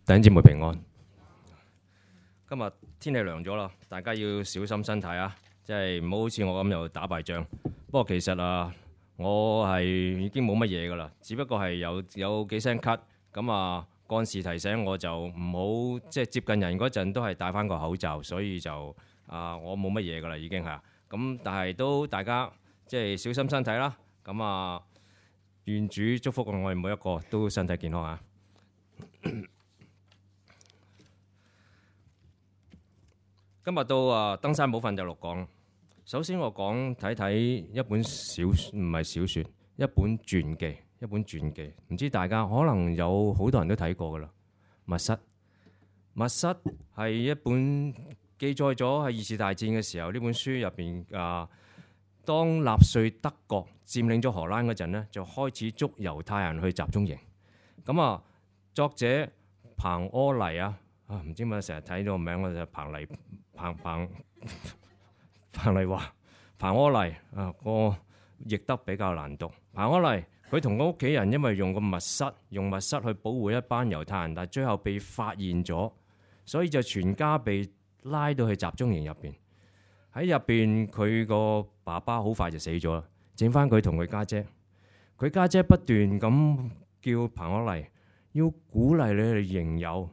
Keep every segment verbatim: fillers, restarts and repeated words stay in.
弟兄姊妹平安。今日天氣涼咗啦，大家要小心身體啊！即係唔好好似我咁又打敗仗。不過其實啊，我係已經冇乜嘢噶啦，只不過係有有幾聲咳。咁啊，幹事提醒我就唔好即係接近人嗰陣都係戴翻個口罩，所以就啊我冇乜嘢噶啦已經係。咁但係都大家即係小心身體啦。咁啊，願主祝福我哋每一個都身體健康啊！今日到啊登山寶訓就六講。首先我講睇睇一本小唔係小説，一本傳記，一本傳記。唔知大家可能有好多人都睇過噶啦。密室，密室係一本記載咗喺二次大戰嘅時候，呢本書入邊啊，當納粹德國佔領咗荷蘭嗰陣呢，就開始捉猶太人去集中營。咁啊，作者彭柯黎啊。啊，唔知點解成日睇到個名我就彭麗彭彭彭麗華彭柯黎啊，個譯得比較難讀。彭柯黎佢同個屋企人因為用個密室用密室去保護一班猶太人，但係最後被發現咗，所以就全家被拉到去集中營入邊。喺入邊佢個爸爸好快就死咗啦，剩翻佢同佢家姐。佢家姐不斷咁叫彭柯黎要鼓勵你哋營友。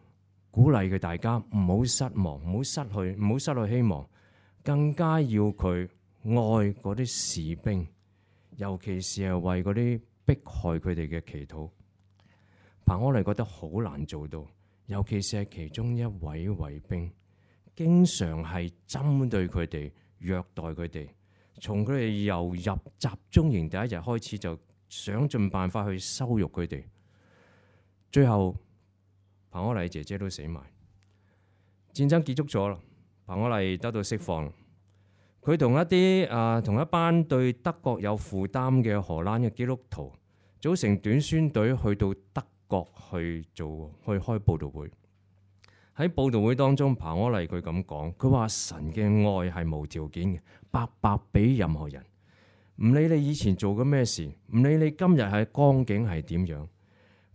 鼓勵佢大家唔好失望，唔好失去，唔好失去希望，更加要佢愛嗰啲士兵，尤其是係為嗰啲迫害佢哋嘅祈禱。彭柯黎覺得好難做到，尤其是係其中一位衛兵，經常係針對佢哋，虐待佢哋，從佢哋由入集中營第一日開始就想盡辦法去羞辱佢哋，最後彭柯黎姐姐都死埋，戰爭結束咗啦。彭柯黎得到釋放，佢同一啲啊同一班對德國有負擔嘅荷蘭嘅基督徒組成短宣隊去到德國去做去開佈道會。喺佈道會當中，彭柯黎佢咁講，佢話神嘅愛係無條件嘅，白白俾任何人，唔理你以前做過咩事，唔理你今日係光景係點樣。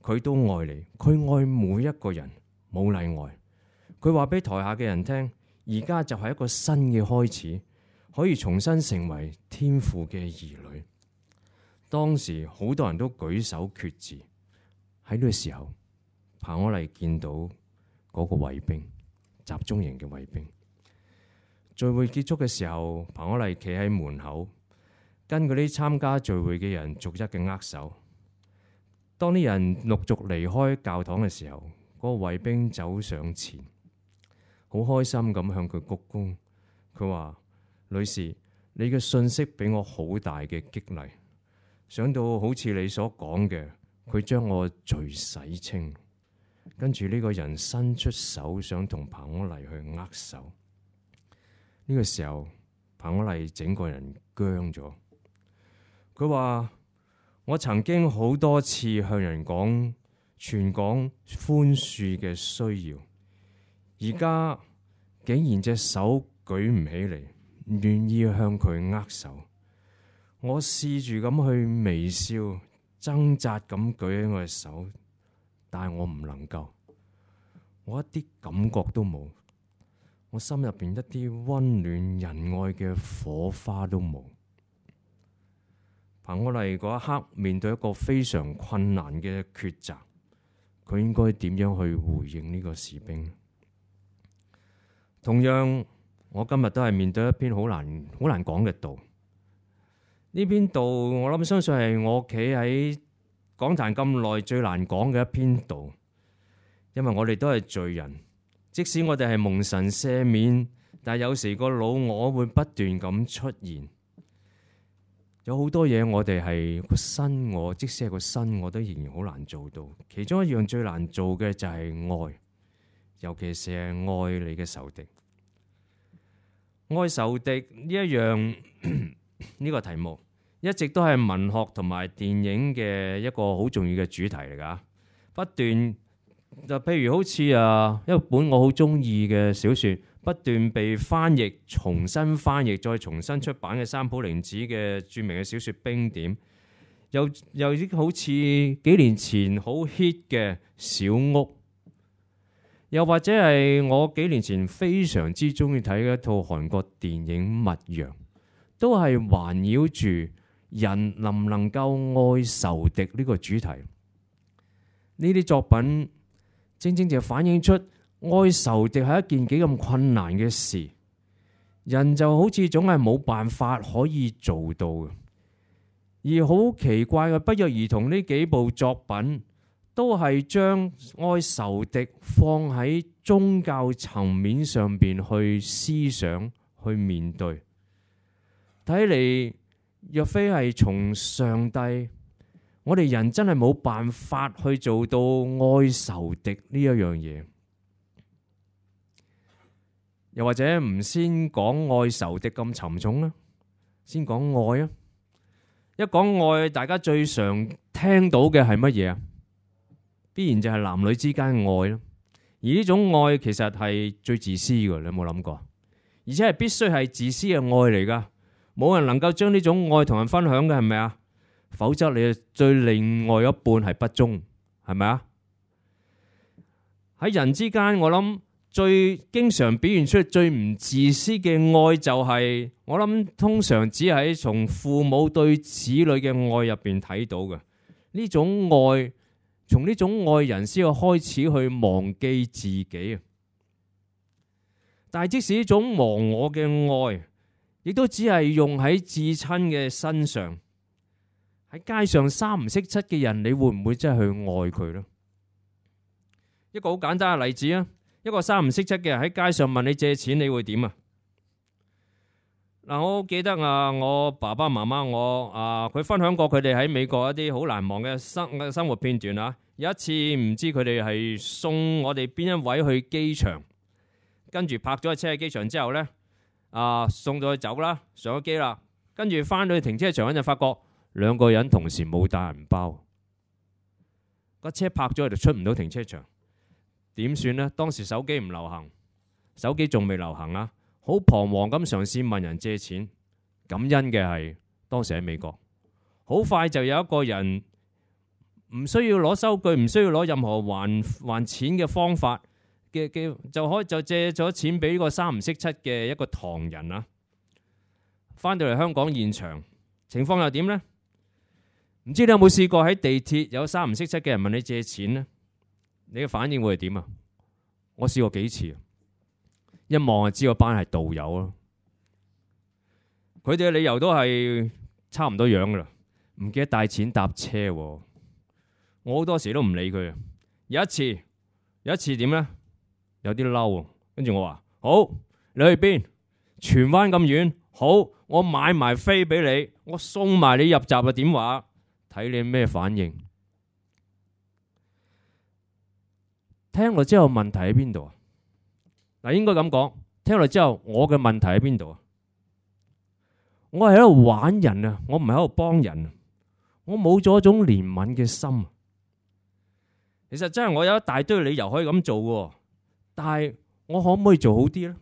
佢都愛你，佢愛每一個人，冇例外。佢話俾台下嘅人聽，而家就係一個新嘅開始，可以重新成為天父嘅兒女。當時好多人都舉手決志。喺呢個時候，彭柯黎見到嗰個衛兵，集中營嘅衛兵。聚會結束嘅時候，彭柯黎企喺門口，跟嗰啲參加聚會嘅人逐一嘅握手。當啲人陸續離開教堂嘅時候，嗰個衛兵走上前，好開心咁向佢鞠躬。佢話：女士，你嘅信息俾我好大嘅激勵，想到好似你所講嘅，佢將我罪洗清。跟住呢個人伸出手想同彭柯黎去握手。呢個時候，彭柯黎整個人僵咗。佢話：我曾經好多次向人講傳講寬恕嘅需要，而家竟然隻手舉唔起嚟，唔願意向佢握手。我試住咁去微笑，掙扎咁舉起我嘅手，但係我唔能夠，我一啲感覺都冇，我心入邊一啲溫暖仁愛嘅火花都冇。彭柯黎嗰一刻面對一個非常困難嘅抉擇，佢應該點樣去回應呢個士兵？同樣，我今日都係面對一篇好難、好難講嘅道。呢篇道我諗相信係我企喺講壇咁耐最難講嘅一篇道，因為我哋都係罪人，即使我哋係蒙神赦免，但係有時個老我會不斷咁出現。有好多嘢我哋係個新我，即使係個新我都仍然好難做到。其中一樣最難做嘅就係愛，尤其是係愛你嘅仇敵。愛仇敵呢一樣呢個題目，一直都係文學同埋電影嘅一個好重要嘅主題嚟㗎。不斷就譬如好似啊一本我好中意嘅小說，不斷被翻譯、重新翻譯、再重新出版嘅三浦玲子嘅著名嘅小說《冰點》，又又好似幾年前好 hit 嘅小屋，又或者係我幾年前非常之中意睇嘅一套韓國電影《密陽》，都係環繞住人能唔能夠愛仇敵呢個主題。呢啲作品正正就反映出愛仇敵係一件幾咁困難嘅事，人就好似總係冇辦法可以做到嘅。而好奇怪嘅，不約而同呢幾部作品都係將愛仇敵放喺宗教層面上邊去思想、去面對。睇嚟若非係從上帝，我哋人真係冇辦法去做到愛仇敵呢一樣嘢。又或者唔先講愛仇敵咁沉重啦，先講愛啊！一講愛，大家最常聽到嘅係乜嘢啊？必然就係男女之間嘅愛咯。而呢種愛其實係最自私嘅，你有冇諗過？而且係必須係自私嘅愛嚟噶，冇人能夠將呢種愛同人分享嘅，係咪啊？否則你對另外一半係不忠，係咪啊？喺人之間，我諗最經常表現出最唔自私嘅愛就係、是，我諗通常只係從父母對子女嘅愛入邊睇到嘅。呢種愛，從呢種愛人先要開始去忘記自己啊！但係即使呢種忘我嘅愛，亦都只係用喺至親嘅身上。喺街上三唔識七嘅人，你會唔會真係去愛佢呢？一個好簡單嘅例子啊！一個三唔識七嘅人喺街上問你借錢，你會點啊？嗱，我記得啊，我爸爸媽媽我啊，佢分享過佢哋喺美國一啲好難忘嘅生生活片段啊。有一次唔知佢哋係送我哋邊一位去機場，跟住泊咗個車喺機場之後呢，啊送咗佢走啦，上咗機啦，跟住翻到去停車場嗰陣，發覺兩個人同時冇帶銀包，個車泊咗喺度，出唔到停車場。點算呢？當時手機唔流行，手機仲未流行啊！好彷徨咁嘗試問人借錢。感恩嘅係當時喺美國，好快就有一個人唔需要攞收據，唔需要攞任何還還錢嘅方法嘅嘅，就可以就借咗錢俾呢個三唔識七嘅一個唐人啊！翻到嚟香港現場，情況又點呢？唔知你有冇試過喺地鐵有三唔識七嘅人問你借錢呢？你嘅反應會係點啊？我試過幾次，一望就知個班係道友咯。佢哋嘅理由都係差唔多樣噶啦，唔記得帶錢搭車。我好多時都唔理佢。有一次，有一次點咧？有啲嬲，跟住我話：好，你去邊？荃灣咁遠，好，我買埋飛俾你，我送埋你入閘啊！點話？睇你咩反應？聽落之後問題喺邊度啊？嗱，應該咁講，聽落之後我嘅問題喺邊度啊？我係喺度玩人啊，我唔係喺度幫人啊，我冇咗一種憐憫嘅心。其實真係我有一大堆理由可以咁做嘅，但係我可唔可以做好啲呢？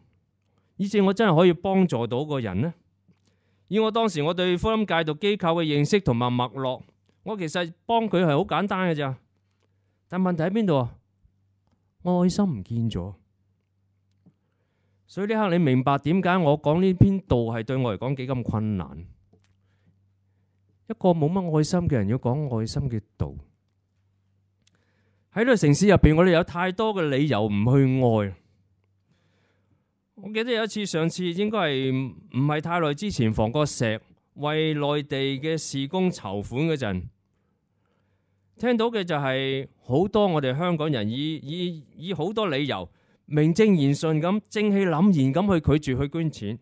以至我真係可以幫助到個人呢？以我當時我對福音戒毒機構嘅認識同埋脈絡，我其實幫佢係好簡單嘅咋。但問題喺邊度啊？愛心唔見咗，所以呢刻你明白點解我講呢篇道係對我嚟講幾咁困難。一個冇乜愛心嘅人要講愛心嘅道，喺呢個城市入邊，我哋有太多嘅理由唔去愛。我記得有一次，上次應該係唔係太耐之前，房角石為內地嘅事工籌款嗰陣，聽到嘅就係好多我哋香港人以以以好多理由名正言順咁正氣凜然咁去拒絕去捐錢，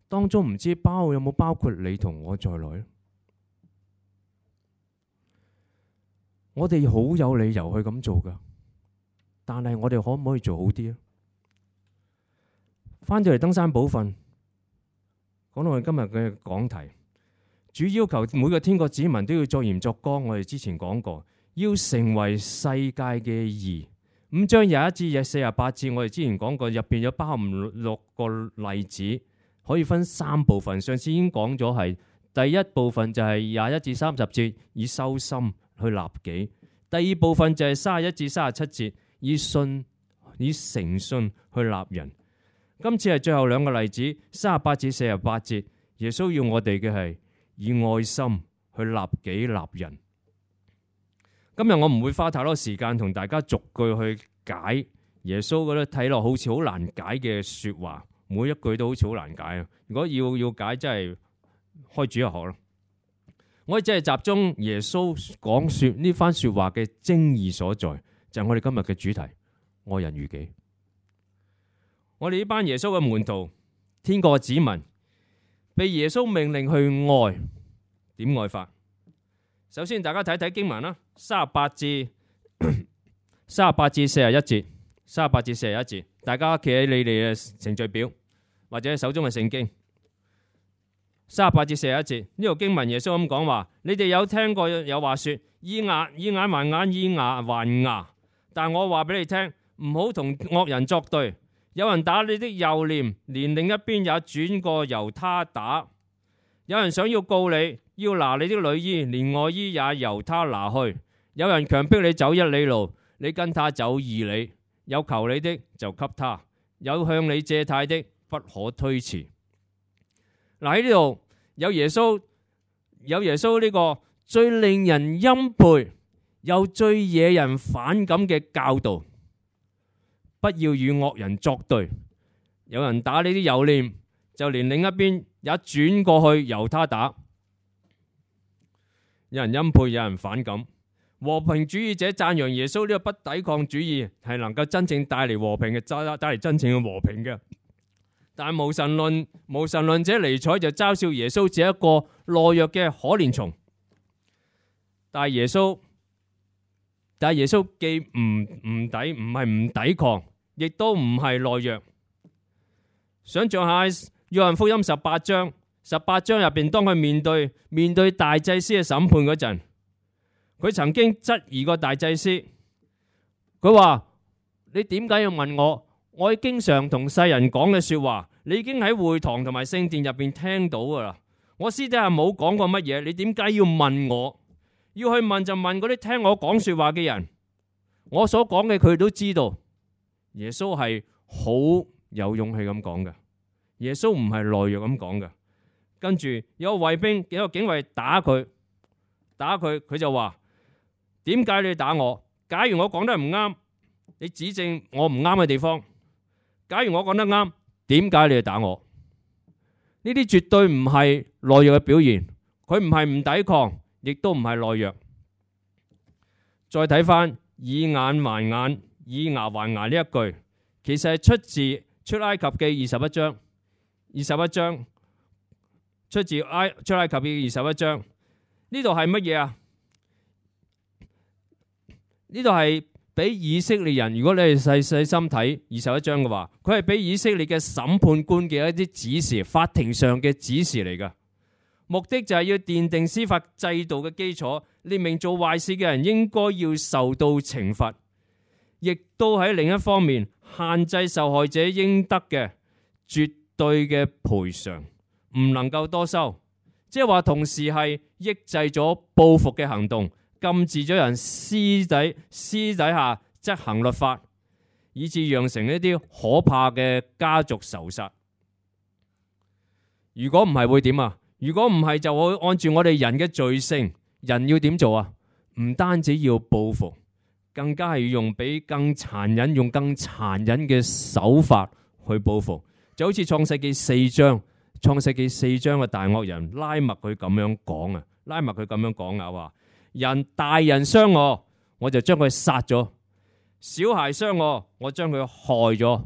當中唔知包有冇包括你同我在內。我哋好有理由去咁做噶，但係我哋可唔可以做好啲啊？翻到嚟登山寶訓，講到我哋今日嘅講題。主要求每個天國子民都要作鹽作光，我哋之前講過，要成為世界嘅義。五章廿一至四十八節，我哋之前講過，入邊有包含六個例子，可以分三部分。上次已經講咗，係第一部分就係廿一至三十節，以修心去立己；第二部分就係三十一至三十七節，以信以誠信去立人。今次係最後兩個例子，三十八至四十八節，耶穌要我哋嘅係以愛心去立己立人。今日我唔會花太多時間同大家逐句去解耶穌嗰啲睇落好似好難解嘅說話，每一句都好似好難解啊！如果要要解，真係開主日學咯。我哋只係集中耶穌講說呢番說話嘅精義所在，就係我哋今日嘅主題：愛人如己。我哋呢班耶穌嘅門徒，天國嘅子民，被耶穌命令去愛，點愛法？首先，大家睇睇經文啦，三十八至三十八至四十一節，三十八至四十一節，大家企喺你哋嘅程序表或者手中嘅聖經。三十八至四十一節呢度經文，耶穌咁講話：你哋有聽過有話說，以牙以眼還眼，以牙還牙。但我話俾你聽，唔好同惡人作對。有人打你的右臉，連另一邊也轉過由他打；有人想要告你，要拿你的裡衣，連外衣也由他拿去；有人強迫你走一里路，你跟他走二里。有求你的就給他，有向你借貸的不可推辭。嗱，喺呢度有耶穌，有耶穌呢個最令人欽佩又最惹人反感嘅教導。不要與惡人作對，有人打你啲右臉，就連另一邊也轉過去由他打。有人欽佩，有人反感。和平主義者讚揚耶穌呢個不抵抗主義係能夠真正帶嚟和平嘅，帶嚟真正嘅和平嘅。但係無神論無神論者尼采就嘲笑耶穌只係一個懦弱嘅可憐蟲。但係耶穌，但係耶穌既唔唔抵，唔係唔抵抗，亦都唔係懦弱。想象下約翰福音十八章，十八章入邊，當佢面對面對大祭司嘅審判嗰陣，佢曾經質疑過大祭司。佢話：你點解要問我？我經常同世人講嘅說話，你已經喺會堂同埋聖殿入邊聽到噶啦。我私底下冇講過乜嘢，你點解要問我？要去問就問嗰啲聽我講說話嘅人。我所講嘅佢都知道。耶穌係好有勇氣咁講嘅，耶穌唔係懦弱咁講嘅。跟住有個衛兵，有個警衛打佢，打佢，佢就話：點解你打我？假如我講得唔啱，你指正我唔啱嘅地方。假如我講得啱，點解你要打我？呢啲絕對唔係懦弱嘅表現，佢唔係唔抵抗，亦都唔係懦弱。再睇翻以眼還眼，以牙還牙呢一句，其實係出自出埃及記二十一章，二十一章出自埃出埃及記二十一章。呢度係乜嘢啊？呢度係俾以色列人，如果你係細細心睇二十一章嘅話，佢係俾以色列嘅審判官嘅一啲指示，法庭上嘅指示嚟㗎。目的就係要奠定司法制度嘅基礎，列明做壞事嘅人應該要受到懲罰，亦都喺另一方面限制受害者應得嘅絕對嘅賠償，唔能夠多收。即係話同時係抑制咗報復嘅行動，禁止咗人私底私底下執行律法，以致釀成一啲可怕嘅家族仇殺。如果唔係會點啊？如果唔係就會按住我哋人嘅罪性，人要點做啊？唔單止要報復，更加係要用比更殘忍、用更殘忍嘅手法去報復。就好似創世記四章，創世記四章嘅大惡人拉麥佢咁樣講啊，拉麥佢咁樣講啊，話人大人傷我，我就將佢殺咗；小孩傷我，我將佢害咗。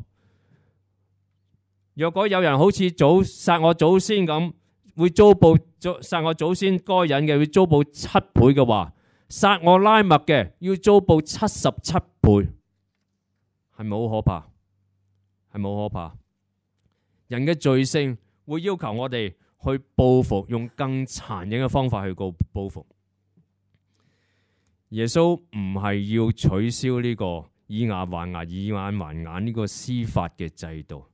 若果有人好似祖殺我祖先咁，會遭報殺我祖先該隱嘅，會遭報七倍嘅話，殺我拉麥嘅要遭報七十七倍，係咪好可怕？係咪好可怕？人嘅罪性會要求我哋去報復，用更殘忍嘅方法去告報復。耶穌唔係要取消呢個以牙還牙、以眼還眼呢個司法嘅制度。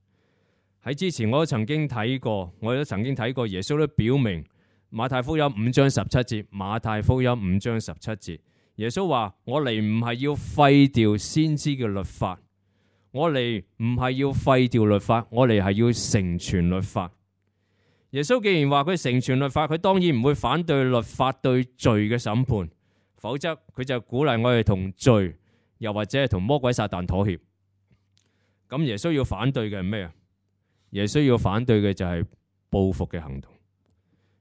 喺之前我都曾經睇過，我都曾經睇過耶穌都表明馬太福音五章十七節，馬太福音五章十七節，耶穌話：我嚟唔係要廢掉先知嘅律法，我嚟唔係要廢掉律法，我嚟係要成全律法。耶穌既然話佢成全律法，佢當然唔會反對律法對罪嘅審判，否則佢就鼓勵我哋同罪，又或者係同魔鬼撒旦妥協。咁耶穌要反對嘅係咩啊？耶穌要反對嘅就係報復嘅行動。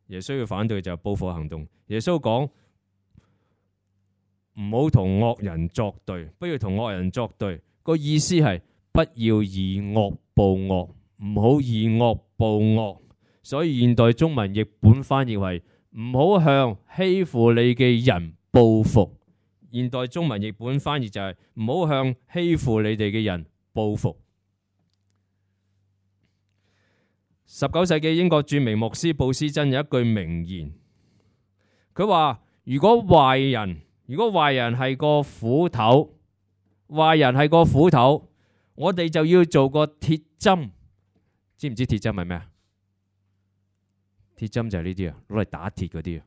耶穌要反對嘅就係報復行動。耶穌講唔好同惡人作對，不要同惡人作對。個意思係不要以惡報惡，唔好以惡報惡。所以現代中文譯本翻譯為唔好向欺負你嘅人報復。現代中文譯本翻譯就係唔好向欺負你哋嘅人報復。十九世紀英國著名牧師布斯真有一句名言，佢話：如果壞人，如果壞人係個斧頭，壞人係個斧頭，我哋就要做個鐵針。知唔知鐵針係咩啊？鐵針就係呢啲啊，攞嚟打鐵嗰啲啊。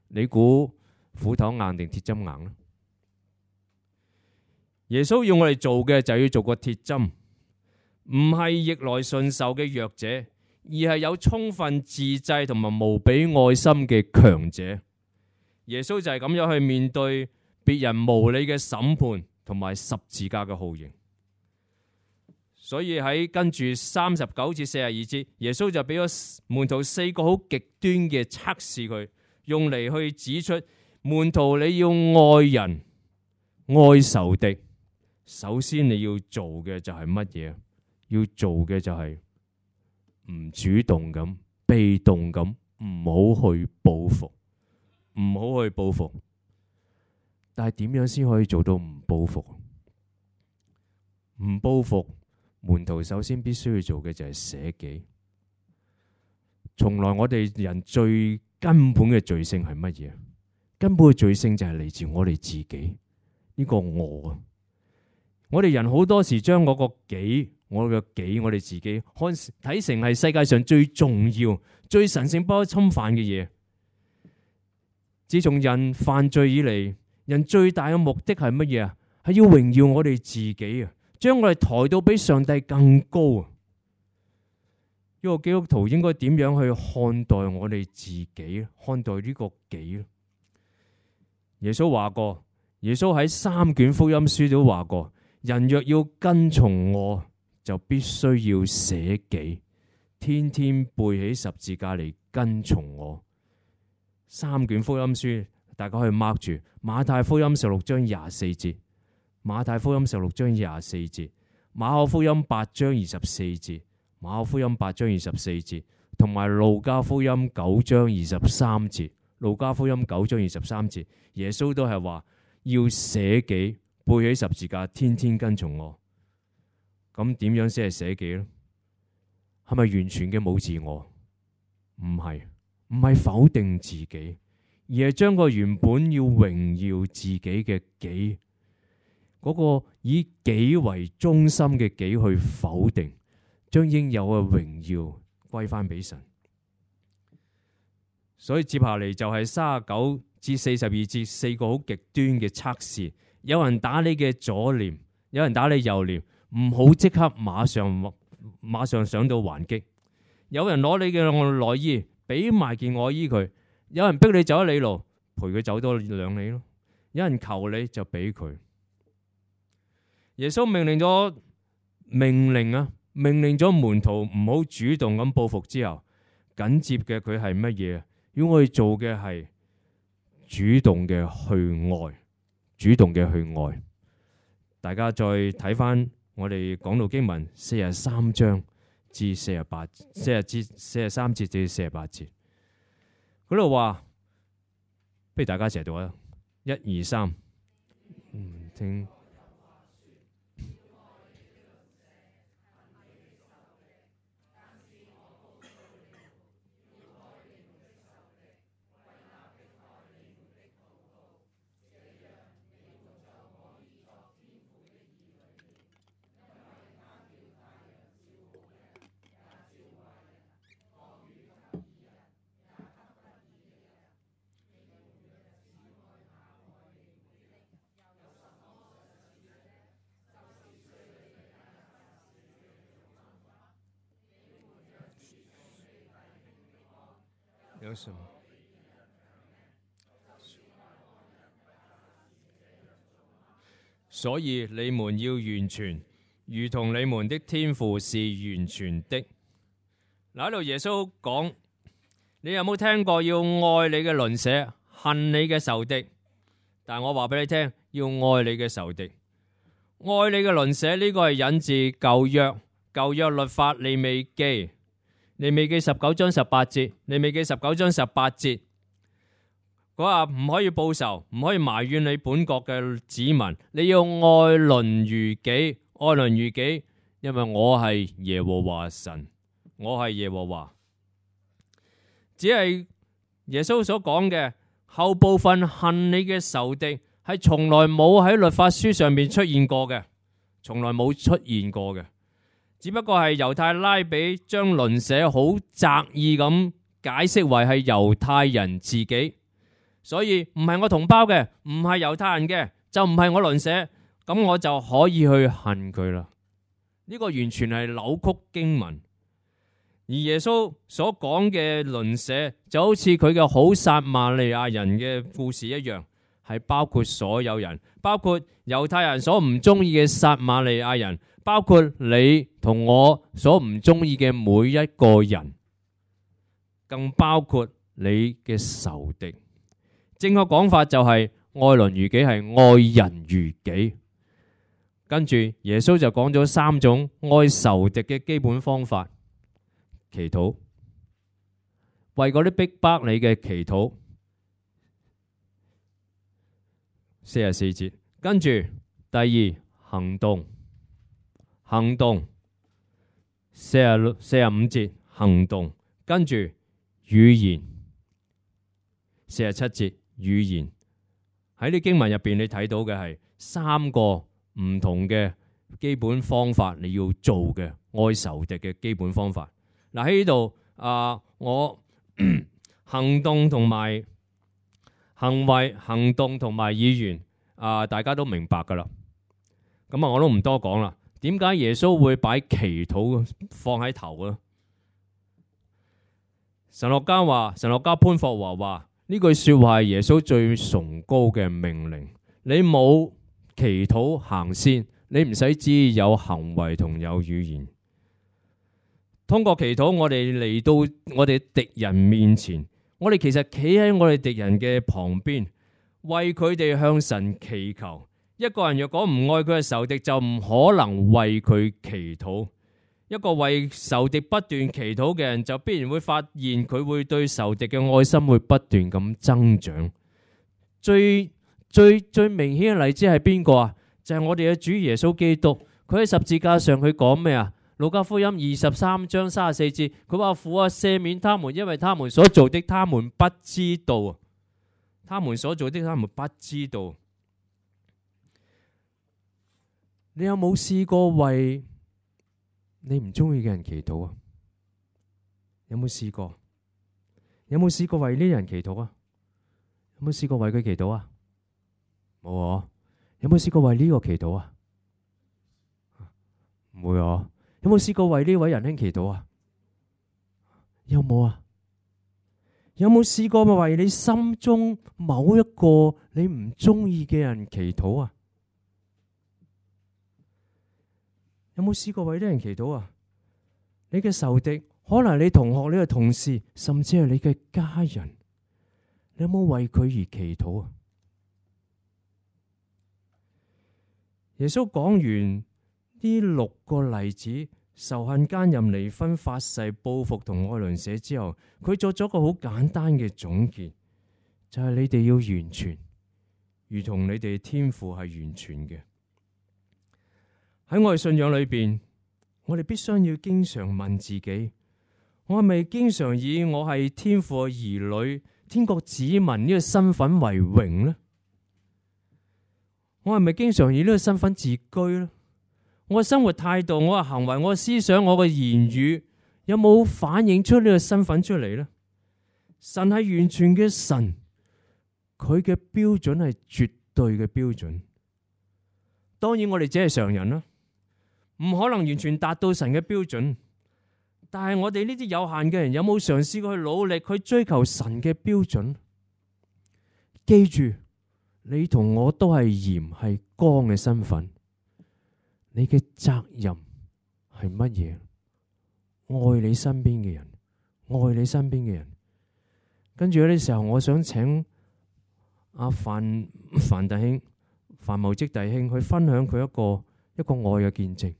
你估斧頭硬定鐵針硬咧？耶穌要我哋做嘅就要做個鐵針，唔係逆來順受嘅弱者，而係有充分自制同埋無比愛心嘅強者。耶穌就係咁樣去面對別人無理嘅審判同埋十字架嘅酷刑。所以喺跟住三十九至四十二節，耶穌就俾咗門徒四個好極端嘅測試佢，用嚟去指出門徒你要愛人、愛仇敵。首先你要做嘅就係乜嘢？要做嘅就係唔主動咁、被動咁，唔好去報復，唔好去報復。但係點樣先可以做到唔報復？唔報復。門徒首先必須要做嘅就係捨己。從來我哋人最根本嘅罪性係乜嘢？根本嘅罪性就係嚟自我哋自己呢個我啊！我哋人好多時將我個己、我嘅己、我哋自己看睇成係世界上最重要、最神聖不可侵犯嘅嘢。自從人犯罪以嚟，人最大嘅目的係乜嘢啊？係要榮耀我哋自己啊！將我哋抬到比上帝更高啊！一個基督徒應該點樣去看待我哋自己？看待呢個己？耶穌話過，耶穌喺三卷福音書都話過，人若要跟從我，就必須要捨己，天天背起十字架嚟跟從我。三卷福音書，大家可以 mark 住，馬太福音十六章廿四節。馬太福音十六章廿四節，馬可福音八章二十四節，馬可福音八章二十四節，同埋路加福音九章二十三節，路加福音九章二十三節，耶穌都係話要捨己，背起十字架，天天跟從我。咁點樣先係捨己呢？係咪完全嘅冇自我？唔係，唔係否定自己，而係將個原本要榮耀自己嘅己，嗰個以己為中心嘅己去否定，將應有嘅榮耀歸翻俾神。所以接下嚟就係三十九至四十二節四個好極端嘅測試。有人打你嘅左臉，有人打你右臉，唔好即刻馬上馬上上到還擊。有人攞你嘅內衣，俾埋件外衣佢。有人逼你走一里路，陪佢走多兩里咯。有人求你就俾佢。耶穌命令咗命令啊，命令咗門徒唔好主動咁報復之後，緊接嘅佢係乜嘢？要我哋做嘅係主動嘅去愛，主動嘅去愛。大家再睇翻我哋講到經文四十三章至四十八，四十至四十三節至四十八節，嗰度話，不如大家一齊讀啊！一二三，嗯，聽。有什麼？所以你們要完全，如同你們的天父是完全的。嗱，喺度耶穌講，你有冇聽過要愛你嘅鄰舍，恨你嘅仇敵？但係我話俾你聽，要愛你嘅仇敵，愛你嘅鄰舍，呢個係引自舊約，舊約律法利未記，利未記十九章十八節，利未記十九章十八節。佢話唔可以報仇，唔可以埋怨你本國嘅子民，你要愛鄰如己，愛鄰如己，因為我係耶和華神，我係耶和華。只係耶穌所講嘅後部分，恨你嘅仇敵，係從來冇喺律法書上面出現過嘅，從來冇出現過嘅，只不過係猶太拉比將鄰舍好擇意咁解釋為係猶太人自己。所以唔係我同胞嘅，唔係猶太人嘅，就唔係我鄰舍，咁我就可以去恨佢啦。呢個完全係扭曲經文。而耶穌所講嘅鄰舍就好似佢嘅好撒瑪利亞人嘅故事一樣，係包括所有人，包括猶太人所唔中意嘅撒瑪利亞人，包括你同我所唔中意嘅每一個人，更包括你嘅仇敵。正確講法就係愛鄰如己，係愛人如己。跟住耶穌就講咗三種愛仇敵嘅基本方法：祈禱，為嗰啲逼迫你嘅祈禱。四十四節，跟住第二行動，行動。四十六、四十五節行動，跟住語言。四十七節。語言。喺啲經文入邊，你睇到嘅係三個唔同嘅基本方法，你要做嘅愛仇敵嘅基本方法。嗱，喺呢度啊，我行動同埋行為、行動同埋語言啊，大家都明白噶啦。咁啊，我都唔多講啦。點解耶穌會擺祈禱放喺頭啊？神學家話，神學家潘霍華話。呢句說話係耶穌最崇高嘅命令。你冇祈禱行先，你唔使知有行為同有語言。通過祈禱，我哋嚟到我哋敵人面前，我哋其實企喺我哋敵人嘅旁邊，為佢哋向神祈求。一個人若果唔愛佢嘅仇敵，就唔可能為佢祈禱。一個為仇敵不斷祈禱嘅人，就必然會發現佢會對仇敵嘅愛心會不斷咁增長。最最最明顯嘅例子係邊個啊？就係、是、我哋嘅主耶穌基督。佢喺十字架上佢講咩啊？路加福音二十三章三十四節，佢話父啊，赦免他們，因為他們所做的，他們不知道。他們所做的，他們不知道。你有冇試過為你唔中意嘅人祈禱啊？有冇試過？有冇試過為呢啲人祈禱啊？有冇試過為佢祈禱啊？冇啊？有冇試過為呢個祈禱啊？唔會啊？有冇試過為呢位仁兄祈禱啊？有冇啊？有冇試過為你心中某一個你唔中意嘅人祈禱啊？有冇試過為啲人祈禱啊？你嘅仇敵，可能你同學、你嘅同事，甚至係你嘅家人，你有冇為佢而祈禱啊？耶穌講完呢六個例子，仇恨、奸淫、離婚、發誓、報復同愛鄰舍之後，佢作咗個好簡單嘅總結，就係你哋要完全，如同你哋天父係完全嘅。喺我哋信仰裏邊，我哋必須要經常問自己：我係咪經常以我係天父嘅兒女、天國子民呢個身份為榮呢？我係咪經常以呢個身份自居呢？我嘅生活態度、我嘅行為、我嘅思想、我嘅言語，有冇反映出呢個身份出嚟呢？神係完全嘅神，佢嘅標準係絕對嘅標準。當然我哋只係常人啦，唔可能完全達到神嘅標準，但係我哋呢啲有限嘅人，有冇嘗試過去努力去追求神嘅標準？記住，你同我都係鹽係光嘅身份，你嘅責任係乜嘢？愛你身邊嘅人，愛你身邊嘅人。跟住有啲時候，我想請阿范范弟兄、范茂積弟兄去分享佢一個一個愛嘅見證。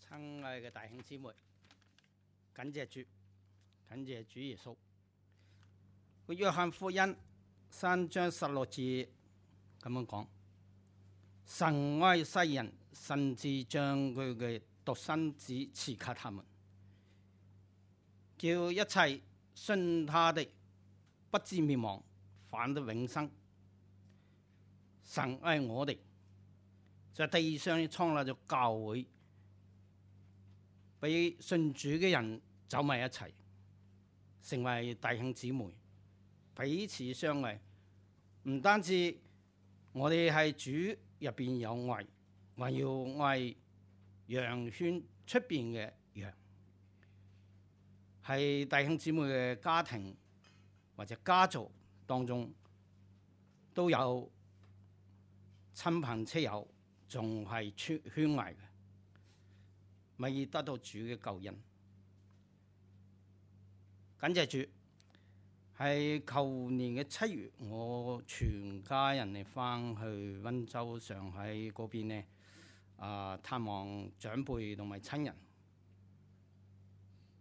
親愛嘅弟兄姊妹，感謝主，感謝主耶穌。個約翰福音三章十六節咁樣講：神愛世人，甚至將佢嘅獨生子賜給他們，叫一切信他的不至滅亡，反得永生。神愛我哋，在地上創立咗教會，俾信主嘅人走埋一齊，成為弟兄姊妹，彼此相愛。唔單止我哋係主入邊有愛，還要愛羊圈出邊嘅羊，係弟兄姊妹嘅家庭或者家族當中都有親朋戚友，仲係圈圈外嘅，未得到主嘅救恩。感謝主，係舊年嘅七月，我全家人嚟翻去溫州、上海嗰邊呢，啊探望長輩同埋親人。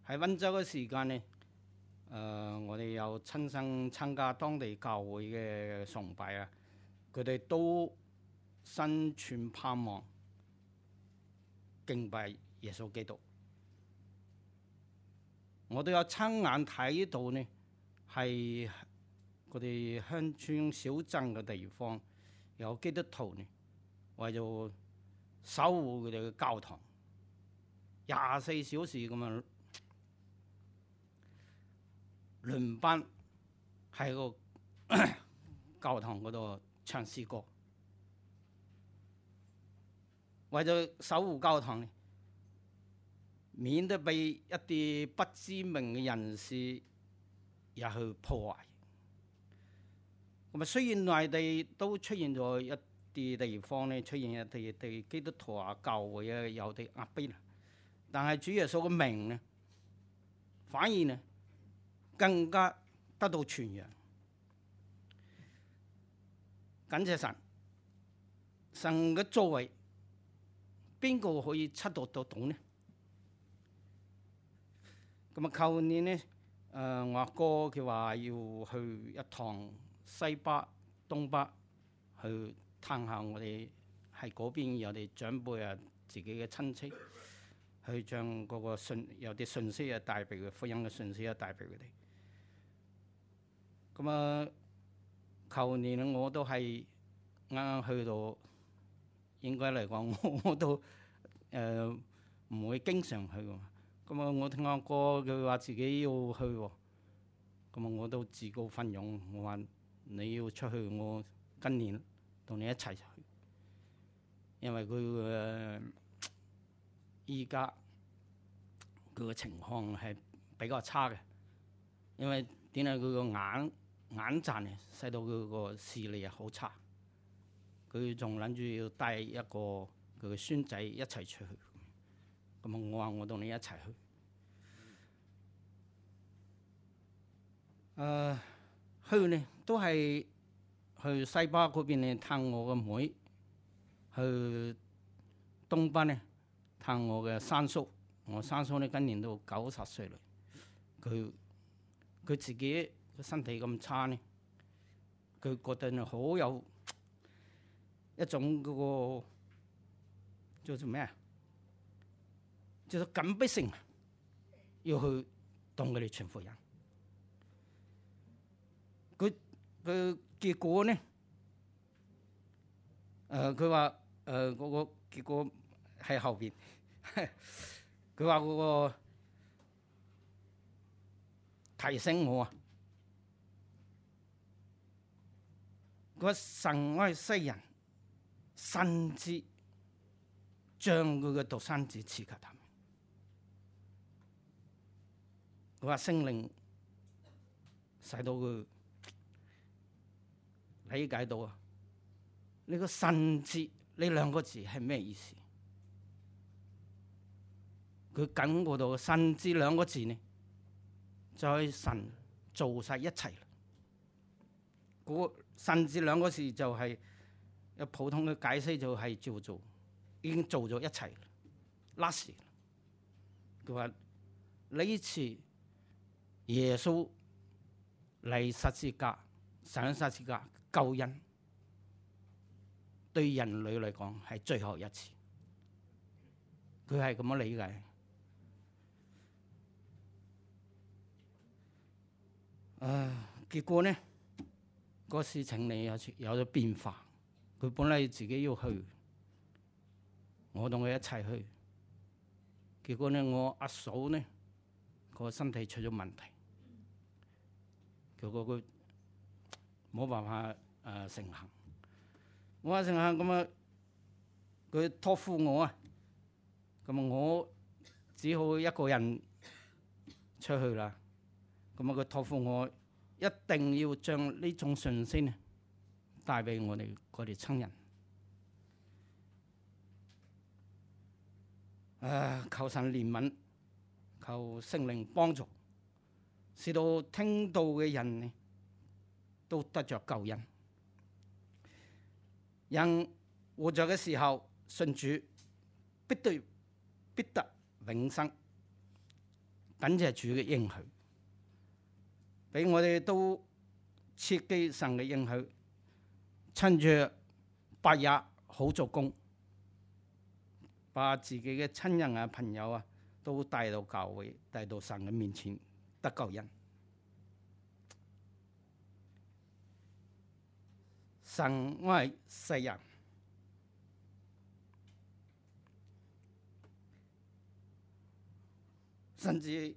喺溫州嘅時間呢，誒、呃、我哋有親身參加當地教會嘅崇拜啊，佢哋都心存盼望，敬拜耶穌基督。我都有親眼睇到呢，係佢哋鄉村小鎮嘅地方有基督徒呢，為咗守護佢哋嘅教堂，廿四小時咁樣輪班喺個教堂嗰度唱詩歌，為咗守護教堂呢，免得被一啲不知名嘅人士入去破壞。咁啊，雖然內地都出現咗一啲地方咧，出現一啲對基督徒啊、教會啊有啲壓迫啦，但係主耶穌嘅名呢，反而呢更加得到傳揚。感謝神，神嘅作為，邊個可以測度得到呢？咁啊，舊年呢，誒、呃、我阿哥佢話要去一趟西北、東北去探下我哋喺嗰邊有啲長輩啊、自己嘅親戚，去將嗰個信有啲信息啊帶俾佢，福音嘅信息啊帶俾佢哋。咁啊，舊年我都係啱啱去到，應該嚟講我我都誒唔會經常去㗎。咁啊！我聽阿哥佢話自己要去喎，咁啊我都自告奮勇，我話你要出去，我今年同你一齊去，因為佢誒依家佢嘅情況係比較差嘅，因為點解佢個眼眼疾啊，使到佢個視力啊好差，佢仲諗住要帶一個佢嘅孫仔一齊出去。咁啊！我話我同你一齊去。誒、呃，去呢都係去西北嗰邊呢探我個妹，去東北呢探我嘅三叔。我三叔呢今年都九十歲啦，佢佢自己個身體咁差呢，佢覺得好有一種嗰、那個叫做咩啊？就係緊迫性，要去同佢哋傳福音。佢佢結果呢？誒佢話誒嗰個結果喺後邊。佢話嗰個提醒我啊，佢話神愛世人，甚至將佢嘅獨生子賜給他們。佢話聖靈使到佢理解到啊，呢個甚至呢兩個字係咩意思？佢感覺到甚至兩個字呢，就係神做晒一切。嗰甚至兩個字就係有普通嘅解釋，就係叫做已經做咗一切。last， 佢話呢次耶穌嚟十字架上十字架救恩，對人類嚟講係最後一次。佢係咁樣理解。啊，結果呢個事情你有有咗變化。佢本嚟自己要去，我同佢一齊去。結果呢，我阿嫂呢個身體出咗問題，結果佢冇辦法誒、呃、成行。我話成行咁啊，佢託付我啊，咁啊我只好一個人出去啦。咁啊佢託付我，一定要將呢種信息呢帶俾我哋嗰啲親人。啊！求神憐憫，求聖靈幫助，使到聽到嘅人呢都得着救恩。人活着嘅時候信主，必對必得永生。感謝主嘅應許，俾我哋都切記神嘅應許，趁住白日好做工，把自己嘅親人啊、朋友啊都帶到教會，帶到神嘅面前得救恩。神愛世人，甚至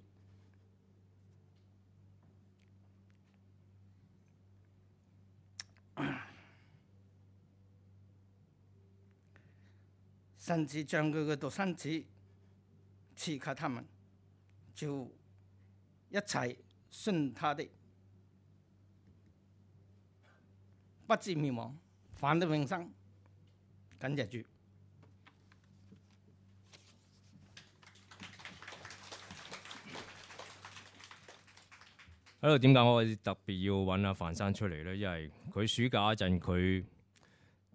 甚至將佢嘅獨生子賜給他們，就一切信他的，不至滅亡，反得永生。感謝主。喺度點解我特別要揾阿范生出嚟咧？因為佢暑假嗰陣，佢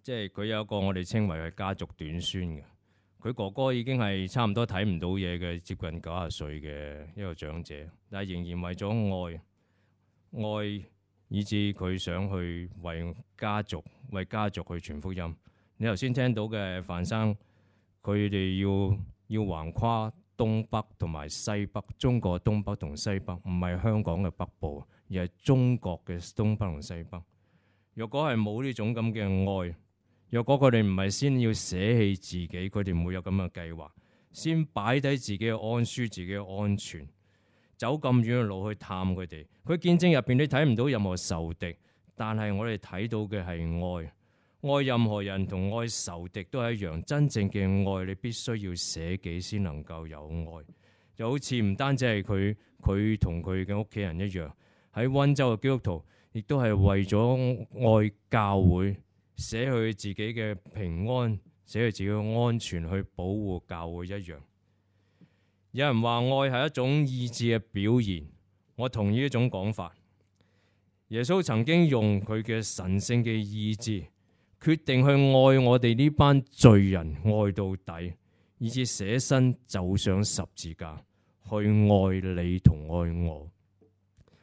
即係佢有一個我哋稱為係家族短孫嘅。佢哥哥已經係差唔多睇唔到嘢嘅，接近九十歲嘅一個長者，但係仍然為咗愛愛，以致佢想去為家族為家族去傳福音。你頭先聽到嘅范生，佢哋要要橫跨東北同埋西北，中國東北同西北，唔係香港嘅北部，而係中國嘅東北同西北。若果係冇呢種咁嘅愛，若果佢哋唔係先要捨棄自己，佢哋唔會有咁嘅計劃，先擺低自己嘅安舒、自己嘅安全，走咁遠嘅路去探佢哋。佢見證入邊你睇唔到任何仇敵，但係我哋睇到嘅係愛。愛任何人同愛仇敵都係一樣，真正嘅愛你必須要捨己先能夠有愛。就好似唔單止係佢，佢同佢嘅屋企人一樣，喺溫州嘅基督徒亦都係為咗愛教會，捨去自己嘅平安，捨去自己嘅安全去保護教會一樣。有人話愛係一種意志嘅表現，我同意呢種講法。耶穌曾經用佢嘅神聖嘅意志，決定去愛我哋呢班罪人，愛到底，以致捨身走上十字架，去愛你同愛我。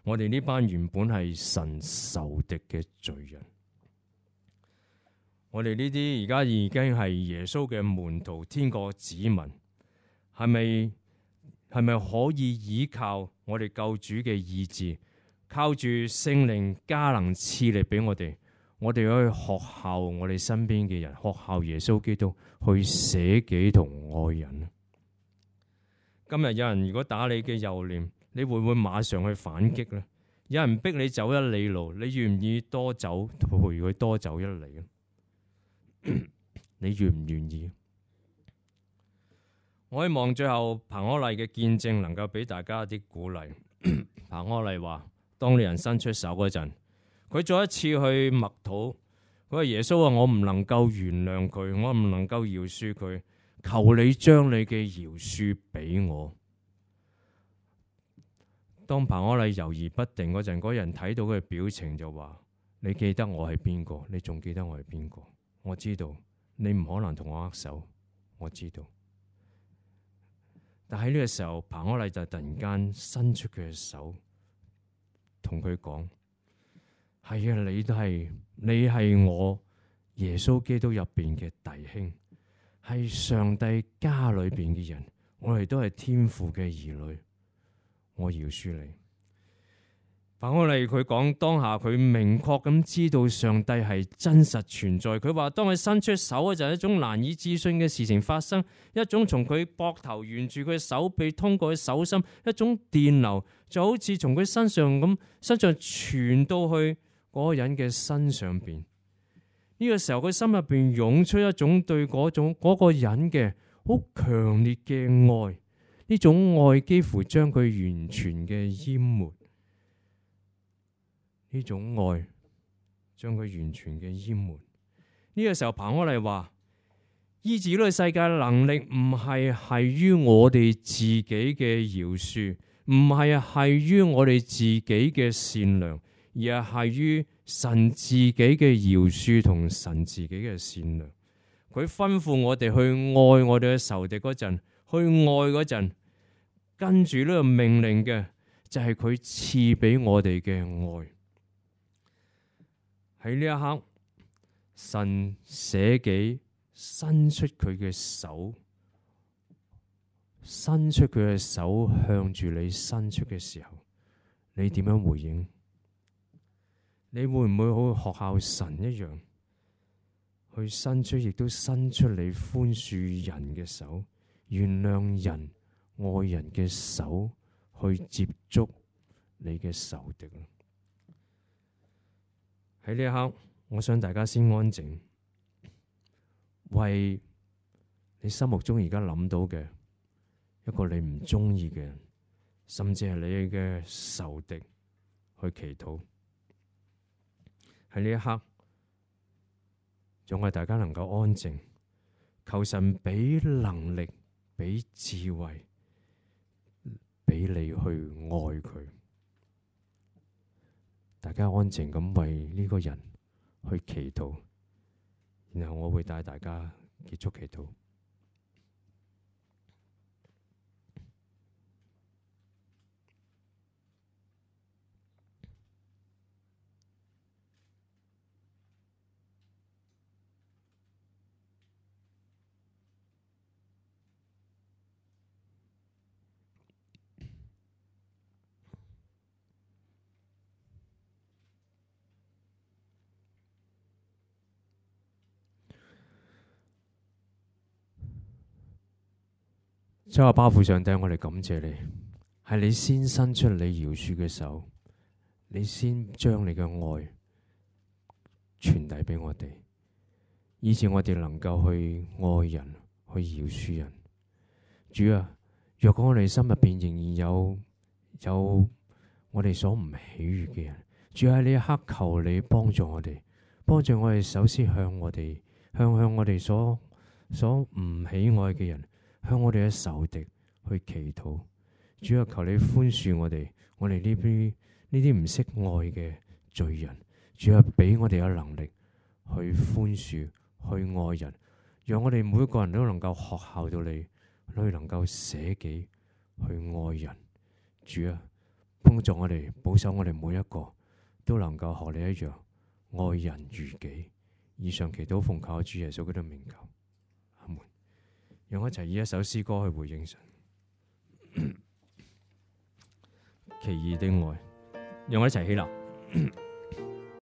我哋呢班原本係神仇敵嘅罪人，我哋呢啲而家已經係耶穌嘅門徒，天國子民，係咪係咪可以依靠我哋救主嘅意志，靠住聖靈加能賜力俾我哋？我哋可以學效我哋身邊嘅人，學效耶穌基督去捨己同愛人。今日有人如果打你嘅右臉，你會唔會馬上去反擊呢？有人逼你走一里路，你願唔願意多走陪佢多走一里？你願唔願意？我希望最後彭柯麗嘅見證能夠俾大家一啲鼓勵。彭柯麗話：當你人伸出手嗰陣，佢再一次去默禱，佢話耶穌啊，我唔能夠原諒佢，我唔能夠饒恕佢，求你將你嘅饒恕俾我。當彭柯麗猶豫不定嗰陣，嗰人睇到佢嘅表情就話：你記得我係邊個？你仲記得我係邊個？我知道你唔可能同我握手，我知道。但喺呢個時候，彭柯麗就突然間伸出佢嘅手，同佢講：係啊，你都係，你係我耶穌基督入邊嘅弟兄，係上帝家裏邊嘅人，我哋都係天父嘅兒女，我饒恕你。彭柯麗佢講當下佢明確咁知道上帝係真實存在。佢話當佢伸出手嗰陣，一種難以置信嘅事情發生，一種從佢膊頭沿住佢手臂通過佢手心，一種電流就好似從佢身上咁身上傳到去嗰個人嘅身上邊。呢、這個時候佢心入邊湧出一種對嗰種嗰、那個人嘅好強烈嘅愛，呢種愛幾乎將佢完全嘅淹沒。呢種愛將佢完全嘅淹沒。呢個時候，彭柯麗話：醫治呢個世界能力唔係係於我哋自己嘅饒恕，唔係係於我哋自己嘅善良，而係係於神自己嘅饒恕同神自己嘅善良。佢吩咐我哋去愛我哋嘅仇敵嗰陣，去愛嗰陣，跟住呢個命令嘅就係佢賜俾我哋嘅愛。喺呢一刻，神捨己伸出佢嘅手，伸出佢嘅手向住你伸出嘅時候，你點樣回應？你會唔會好似學校神一樣，去伸出，亦都伸出你寬恕人嘅手，原諒人、愛人嘅手，去接觸你嘅仇敵？喺呢一刻，我想大家先安靜，為你心目中而家諗到嘅一個你唔中意嘅人，甚至係你嘅仇敵去祈禱。喺呢一刻，讓我哋大家能夠安靜，求神俾能力、俾智慧，俾你去愛佢。大家安靜咁為呢個人去祈禱，然後我會帶大家結束祈禱。主啊，巴父上帝，我哋感謝你，係你先伸出你饒恕嘅手，你先將你嘅愛傳遞俾我哋，以致我哋能夠去愛人，去饒恕人。主啊，若果我哋心入邊仍然有有我哋所唔喜悅嘅人，主喺呢一刻求你幫助我哋，幫助我哋首先向我哋向向我哋所所唔喜愛嘅人，向我哋嘅仇敵去祈禱。主啊，求你寬恕我哋，我哋呢啲呢啲唔識愛嘅罪人。主啊，俾我哋有能力去寬恕、去愛人，讓我哋每個人都能夠學效到你，去能夠捨己去愛人。主啊，幫助我哋，保守我哋每一個都能夠學你一樣愛人如己。以上祈禱奉靠主耶穌基督名求，阿門。讓我一齊以一首詩歌去回應神。奇異的愛，讓我一齊起立。